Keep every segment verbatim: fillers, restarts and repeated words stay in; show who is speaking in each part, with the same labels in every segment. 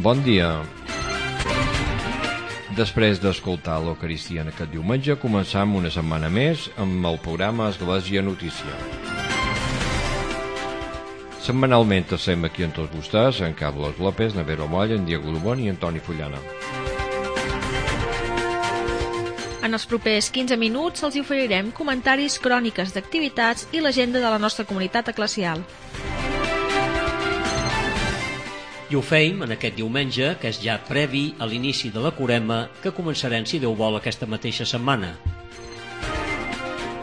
Speaker 1: Bon dia. Després d'escoltar l'Eucaristia en aquest diumenge, començam una setmana més amb el programa Església Notícia. Setmanalment estem aquí amb tots vostès, en Carlos López, Navero Molla, en Diego Dubón i Antoni Fullana.
Speaker 2: En els propers quinze minuts els oferirem comentaris, cròniques d'activitats i l'agenda de la nostra comunitat eclesial.
Speaker 3: I ho feim en aquest diumenge, que és ja previ a l'inici de la Quaresma, que començarem, si Déu vol, aquesta mateixa setmana.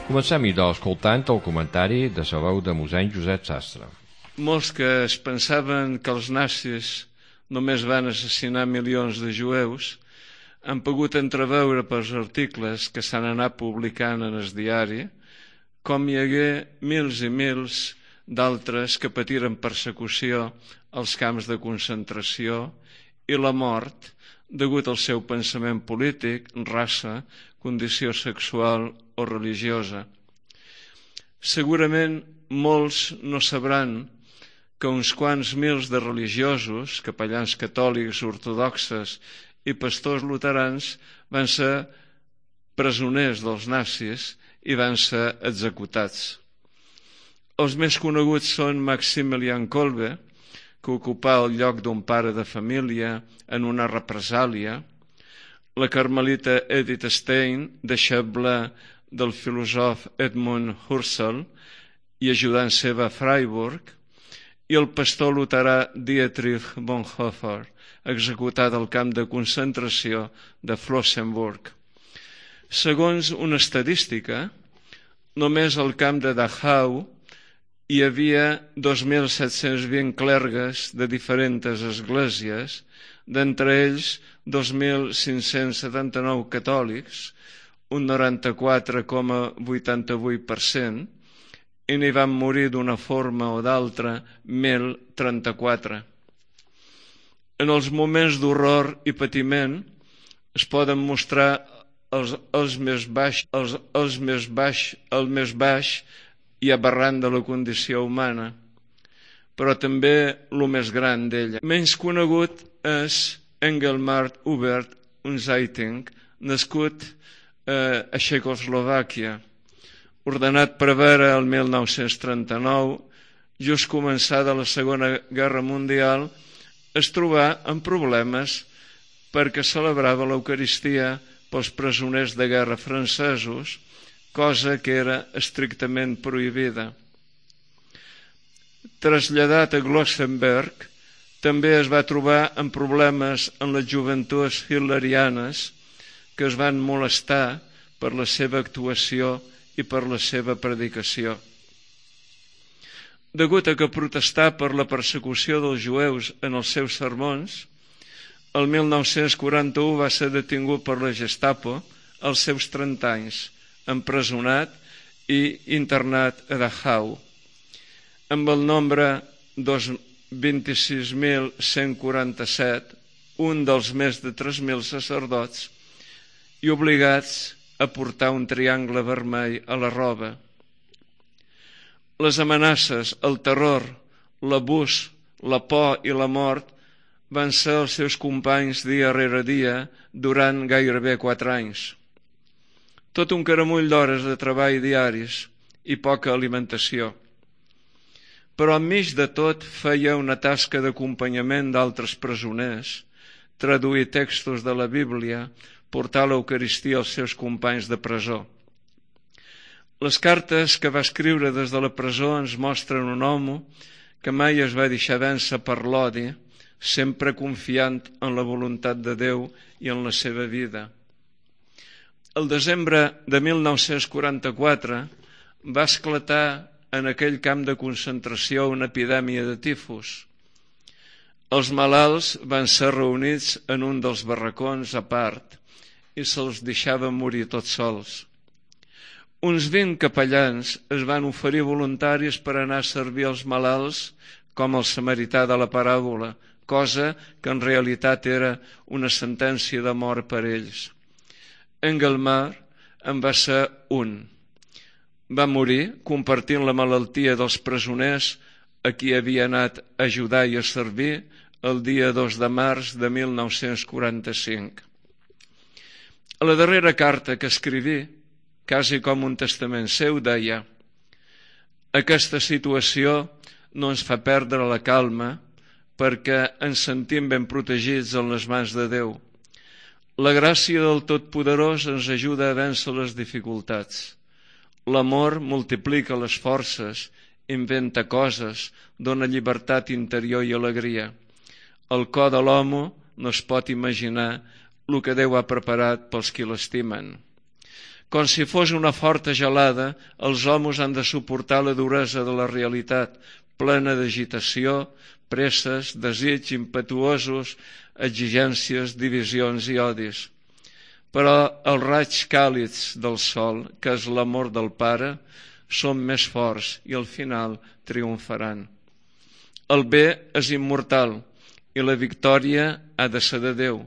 Speaker 1: Comencem, idò, escoltant el comentari de la veu de mossèn Josep Sastre.
Speaker 4: Molts que es pensaven que els nazis només van assassinar milions de jueus han pogut entreveure pels articles que s'han anat publicant en el diari com hi hagué mils i mils d'altres que patiren persecució als camps de concentració i la mort degut al seu pensament polític, raça, condició sexual o religiosa. Segurament molts no sabran que uns quants mils de religiosos, capellans catòlics, ortodoxes i pastors luterans van ser presoners dels nazis i van ser executats. Els més coneguts són Maximilian Kolbe, que ocupà el lloc d'un pare de família en una represàlia, la carmelita Edith Stein, deixeble del filòsof Edmund Husserl i ajudant seva a Freiburg, i el pastor luterà Dietrich Bonhoeffer, executat al camp de concentració de Flossenburg. Segons una estadística, només al camp de Dachau hi havia dos mil set-cents vint clergues de diferents esglésies, d'entre ells dos mil cinc-cents setanta-nou catòlics, un noranta-quatre coma vuitanta-vuit per cent, i n'hi van morir d'una forma o d'altra mil trenta-quatre. En els moments d'horror i patiment es poden mostrar els, els més baix, els, els més baix, el més baix i aberrant de la condició humana, però també el més gran d'ella. Menys conegut és Engelmar Hubert Unzeiting, nascut eh, a Txecoslovàquia, ordenat prevere el mil nou-cents trenta-nou, just començada la Segona Guerra Mundial, es trobà amb problemes perquè celebrava l'Eucaristia pels presoners de guerra francesos, cosa que era estrictament prohibida. Traslladat a Glossenberg, també es va trobar amb problemes en les joventuts hitlerianes que es van molestar per la seva actuació i per la seva predicació. Degut a que protestà per la persecució dels jueus en els seus sermons, el mil nou-cents quaranta-u va ser detingut per la Gestapo als seus trenta anys, empresonat i internat a Dachau. Amb el nombre vint-i-sis mil cent quaranta-set, un dels més de tres mil sacerdots, i obligats a portar un triangle vermell a la roba. Les amenaces, el terror, l'abús, la por i la mort van ser els seus companys dia rere dia durant gairebé quatre anys. Tot un caramull d'hores de treball diaris i poca alimentació. Però enmig de tot feia una tasca d'acompanyament d'altres presoners, traduir textos de la Bíblia, portar l'Eucaristia als seus companys de presó. Les cartes que va escriure des de la presó ens mostren un home que mai es va deixar vèncer per l'odi, sempre confiant en la voluntat de Déu i en la seva vida. El desembre de mil nou-cents quaranta-quatre va esclatar en aquell camp de concentració una epidèmia de tifus. Els malalts van ser reunits en un dels barracons a part i se'ls deixava morir tots sols. Uns vint capellans es van oferir voluntaris per anar a servir els malalts com el samarità de la paràbola, cosa que en realitat era una sentència de mort per ells. Engelmar en va ser un. Va morir compartint la malaltia dels presoners a qui havia anat a ajudar i a servir el dia dos de març de mil nou-cents quaranta-cinc. A la darrera carta que escriví, quasi com un testament seu, deia: aquesta situació no ens fa perdre la calma perquè ens sentim ben protegits en les mans de Déu. La gràcia del Totpoderós ens ajuda a vèncer les dificultats. L'amor multiplica les forces, inventa coses, dona llibertat interior i alegria. El cor de l'home no es pot imaginar el que Déu ha preparat pels qui l'estimen. Com si fos una forta gelada, els homes han de suportar la duresa de la realitat, plena d'agitació, presses, desig impetuosos, exigències, divisions i odis. Però els raigs càlids del sol, que és l'amor del Pare, són més forts i al final triomfaran. El bé és immortal i la victòria ha de ser de Déu,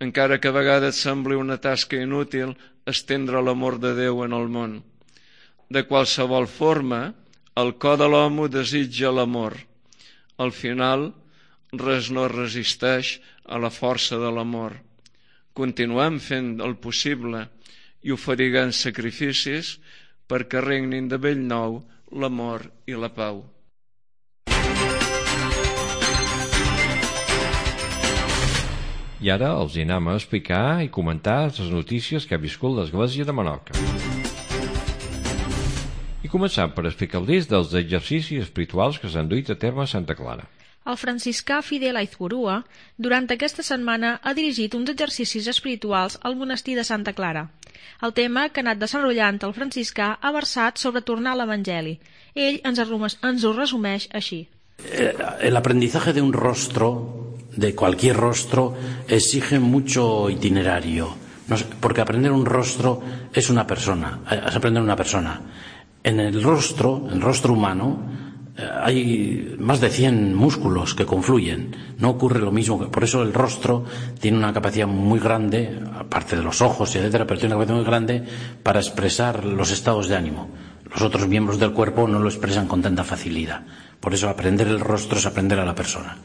Speaker 4: encara que a vegades sembli una tasca inútil estendre l'amor de Déu en el món. De qualsevol forma, el cor de l'home desitja l'amor. Al final, res no resisteix a la força de l'amor. Continuem fent el possible i oferint sacrificis perquè regnin de bell nou l'amor i la pau.
Speaker 1: I ara els anem a explicar i comentar les notícies que ha viscut l'Església de Menorca. I començant per explicar-los dels exercicis espirituals que s'han duit a terme a Santa Clara.
Speaker 2: El franciscà Fidel Aizpurua, durant aquesta setmana, ha dirigit uns exercicis espirituals al monestir de Santa Clara. El tema que ha anat desenrotllant el franciscà ha versat sobre tornar a l'Evangeli. Ell ens, ens ho resumeix així.
Speaker 5: El aprendizaje de un rostro, de cualquier rostro, exige mucho itinerario, porque aprender un rostro es una persona, es aprender una persona. En el rostro, en el rostro humano, hay más de cien músculos que confluyen. No ocurre lo mismo. Por eso el rostro tiene una capacidad muy grande, aparte de los ojos, etcétera, pero tiene una capacidad muy grande para expresar los estados de ánimo. Los otros miembros del cuerpo no lo expresan con tanta facilidad. Por eso aprender el rostro es aprender a la persona.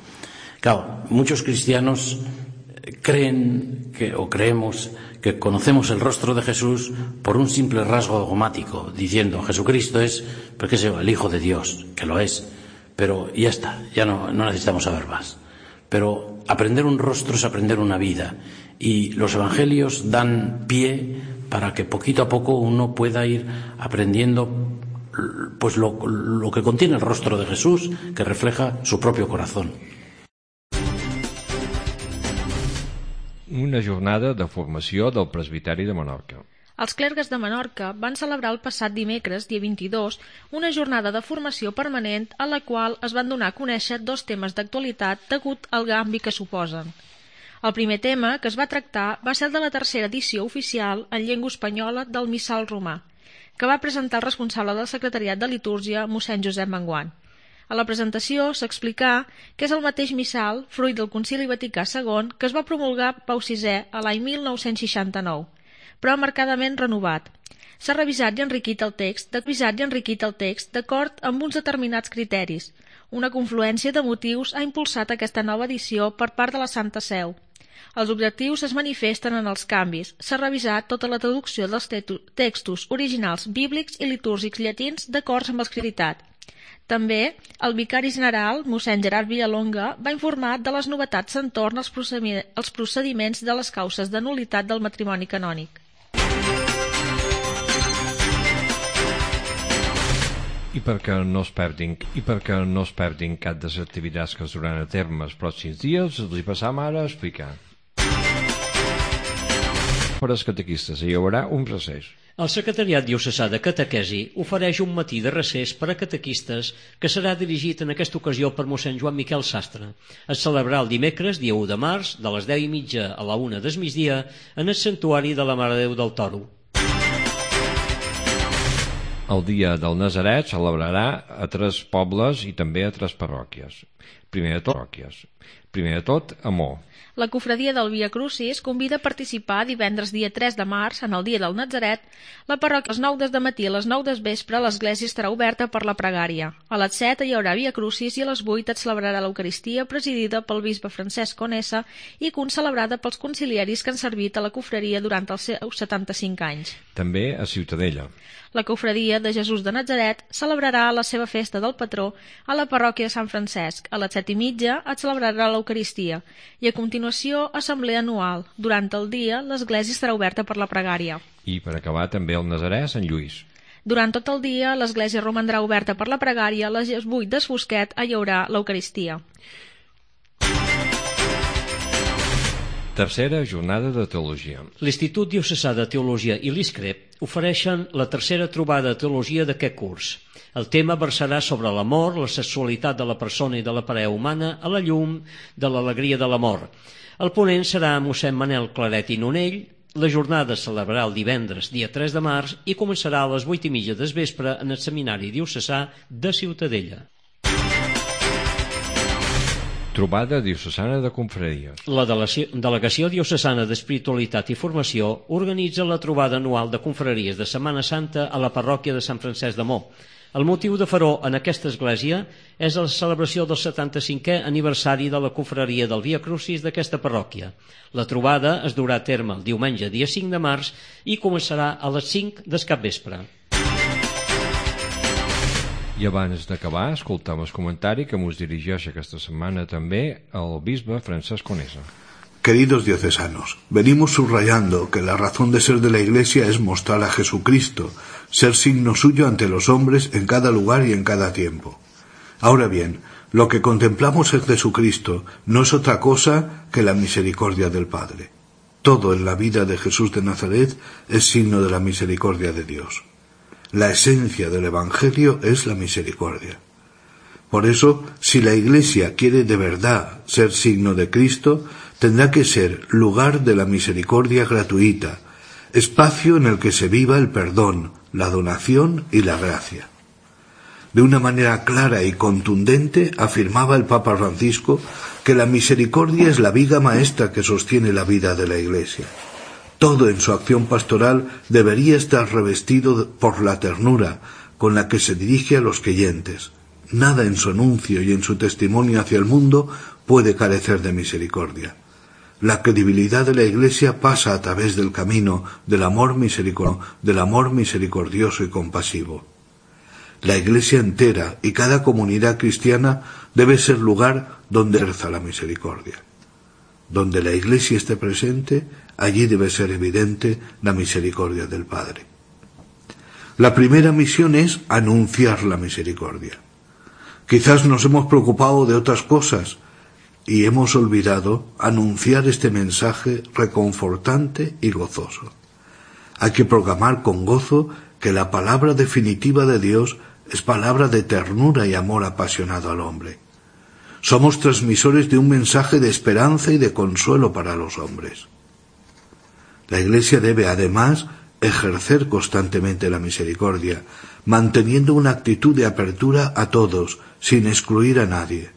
Speaker 5: Claro, muchos cristianos creen que, o creemos que conocemos el rostro de Jesús por un simple rasgo dogmático, diciendo Jesucristo es, pues qué sé yo, el Hijo de Dios, que lo es, pero ya está, ya no, no necesitamos saber más. Pero aprender un rostro es aprender una vida, y los evangelios dan pie para que poquito a poco uno pueda ir aprendiendo pues lo, lo que contiene el rostro de Jesús, que refleja su propio corazón.
Speaker 1: Una jornada de formació del presbiteri de Menorca.
Speaker 2: Els clergues de Menorca van celebrar el passat dimecres, dia vint-i-dos, una jornada de formació permanent a la qual es van donar a conèixer dos temes d'actualitat degut al canvi que suposen. El primer tema que es va tractar va ser el de la tercera edició oficial en llengua espanyola del Missal romà, que va presentar el responsable del secretariat de litúrgia, mossèn Josep Manguant. A la presentació s'explicà que és el mateix missal, fruit del Concili Vaticà segon, que es va promulgar Pau sisè a l'any mil nou-cents seixanta-nou, però marcadament renovat. S'ha revisat i enriquit el text, revisat i enriquit el text d'acord amb uns determinats criteris. Una confluència de motius ha impulsat aquesta nova edició per part de la Santa Seu. Els objectius es manifesten en els canvis. S'ha revisat tota la traducció dels textos originals bíblics i litúrgics llatins d'acord amb els creditats. També, el vicari general, mossèn Gerard Villalonga, va informar de les novetats entorn als procediments de les causes de nul·litat del matrimoni canònic.
Speaker 1: I perquè no es perdin, i perquè no es perdin cap de les activitats que es duran a terme els pròxims dies, els hi passam ara a explicar. Per als catequistes hi haurà un recés.
Speaker 3: El Secretariat Diocesà de Catequesi ofereix un matí de recés per a catequistes que serà dirigit en aquesta ocasió per mossèn Joan Miquel Sastre. Es celebrarà el dimecres, dia u de març, de les deu i mitja a la una del migdia, en el santuari de la Mare de Déu del Toro.
Speaker 1: El dia del Nazaret celebrarà a tres pobles i també a tres parròquies. Primer de tot, primer de tot, amor.
Speaker 2: La cofradia del Via Crucis convida a participar divendres dia tres de març, en el dia del Natzaret. La parròquia a les nou del matí a les nou del vespre l'església estarà oberta per la pregària. A les set hi haurà Via Crucis i a les vuit es celebrarà l'Eucaristia presidida pel bisbe Francesc Conesa i concelebrada pels conciliaris que han servit a la cofraria durant els seus setanta-cinc anys.
Speaker 1: També a Ciutadella.
Speaker 2: La cofradia de Jesús de Natzaret celebrarà la seva festa del patró a la parròquia de Sant Francesc. A les set i mitja es celebrarà l'Eucaristia i a continuació assemblea anual. Durant el dia l'església estarà oberta per la pregària.
Speaker 1: I per acabar també el Nazarè a Sant Lluís.
Speaker 2: Durant tot el dia l'església romandrà oberta per la pregària. A les vuit del fosquet hi haurà l'Eucaristia.
Speaker 1: Tercera jornada de teologia.
Speaker 3: L'Institut Diocesà de Teologia i l'ISCREP ofereixen la tercera trobada de teologia d'aquest curs. El tema versarà sobre l'amor, la sexualitat de la persona i de la parella humana a la llum de l'alegria de l'amor. El ponent serà mossèn Manel Claret i Nonell. La jornada es celebrarà el divendres, dia tres de març, i començarà a les vuit i mitja del vespre en el Seminari Diocesà de Ciutadella.
Speaker 1: Trobada diocesana de confraries.
Speaker 3: La Delegació Diocesana d'Espiritualitat i Formació organitza la trobada anual de confraries de Setmana Santa a la parròquia de Sant Francesc de Mo. El motiu de fer-ho en aquesta església és la celebració del setanta-cinquè aniversari de la confraria del Via Crucis d'aquesta parròquia. La trobada es durà a terme el diumenge dia cinc de març i començarà a les cinc del capvespre.
Speaker 1: I abans d'acabar, escoltam el comentari que ens dirigeix aquesta setmana també el bisbe Francesc Conesa.
Speaker 6: Queridos diocesanos, venimos subrayando que la razón de ser de la Iglesia es mostrar a Jesucristo, ser signo suyo ante los hombres en cada lugar y en cada tiempo. Ahora bien, lo que contemplamos en Jesucristo no es otra cosa que la misericordia del Padre. Todo en la vida de Jesús de Nazaret es signo de la misericordia de Dios. La esencia del Evangelio es la misericordia. Por eso, si la Iglesia quiere de verdad ser signo de Cristo, tendrá que ser lugar de la misericordia gratuita, espacio en el que se viva el perdón, la donación y la gracia. De una manera clara y contundente afirmaba el Papa Francisco que la misericordia es la viga maestra que sostiene la vida de la Iglesia. Todo en su acción pastoral debería estar revestido por la ternura con la que se dirige a los creyentes. Nada en su anuncio y en su testimonio hacia el mundo puede carecer de misericordia. La credibilidad de la Iglesia pasa a través del camino del amor misericordioso, del amor misericordioso y compasivo. La Iglesia entera y cada comunidad cristiana debe ser lugar donde ejerza la misericordia. Donde la Iglesia esté presente, allí debe ser evidente la misericordia del Padre. La primera misión es anunciar la misericordia. Quizás nos hemos preocupado de otras cosas y hemos olvidado anunciar este mensaje reconfortante y gozoso. Hay que proclamar con gozo que la palabra definitiva de Dios es palabra de ternura y amor apasionado al hombre. Somos transmisores de un mensaje de esperanza y de consuelo para los hombres. La Iglesia debe, además, ejercer constantemente la misericordia, manteniendo una actitud de apertura a todos, sin excluir a nadie.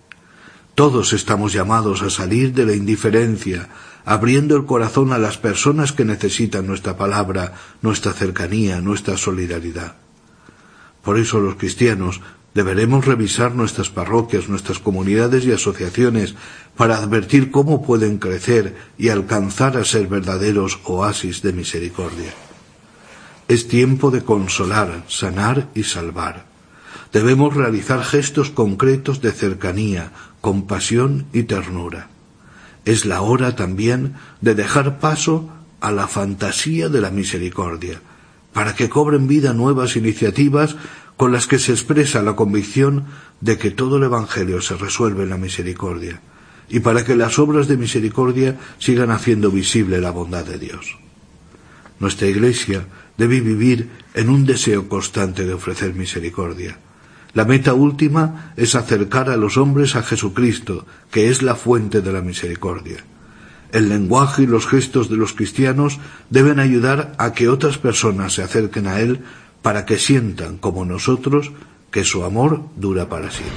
Speaker 6: Todos estamos llamados a salir de la indiferencia, abriendo el corazón a las personas que necesitan nuestra palabra, nuestra cercanía, nuestra solidaridad. Por eso los cristianos deberemos revisar nuestras parroquias, nuestras comunidades y asociaciones para advertir cómo pueden crecer y alcanzar a ser verdaderos oasis de misericordia. Es tiempo de consolar, sanar y salvar. Debemos realizar gestos concretos de cercanía, compasión y ternura. Es la hora también de dejar paso a la fantasía de la misericordia, para que cobren vida nuevas iniciativas con las que se expresa la convicción de que todo el Evangelio se resuelve en la misericordia, y para que las obras de misericordia sigan haciendo visible la bondad de Dios. Nuestra Iglesia debe vivir en un deseo constante de ofrecer misericordia. La meta última es acercar a los hombres a Jesucristo, que es la fuente de la misericordia. El lenguaje y los gestos de los cristianos deben ayudar a que otras personas se acerquen a Él para que sientan, como nosotros, que su amor dura para siempre.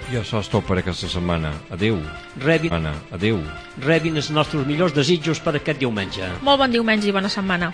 Speaker 1: I això és tot per aquesta setmana. Adéu.
Speaker 3: Rebin,
Speaker 1: Anna, adéu.
Speaker 3: rebin els nostres millors desitjos per aquest diumenge.
Speaker 2: Molt bon diumenge i bona setmana.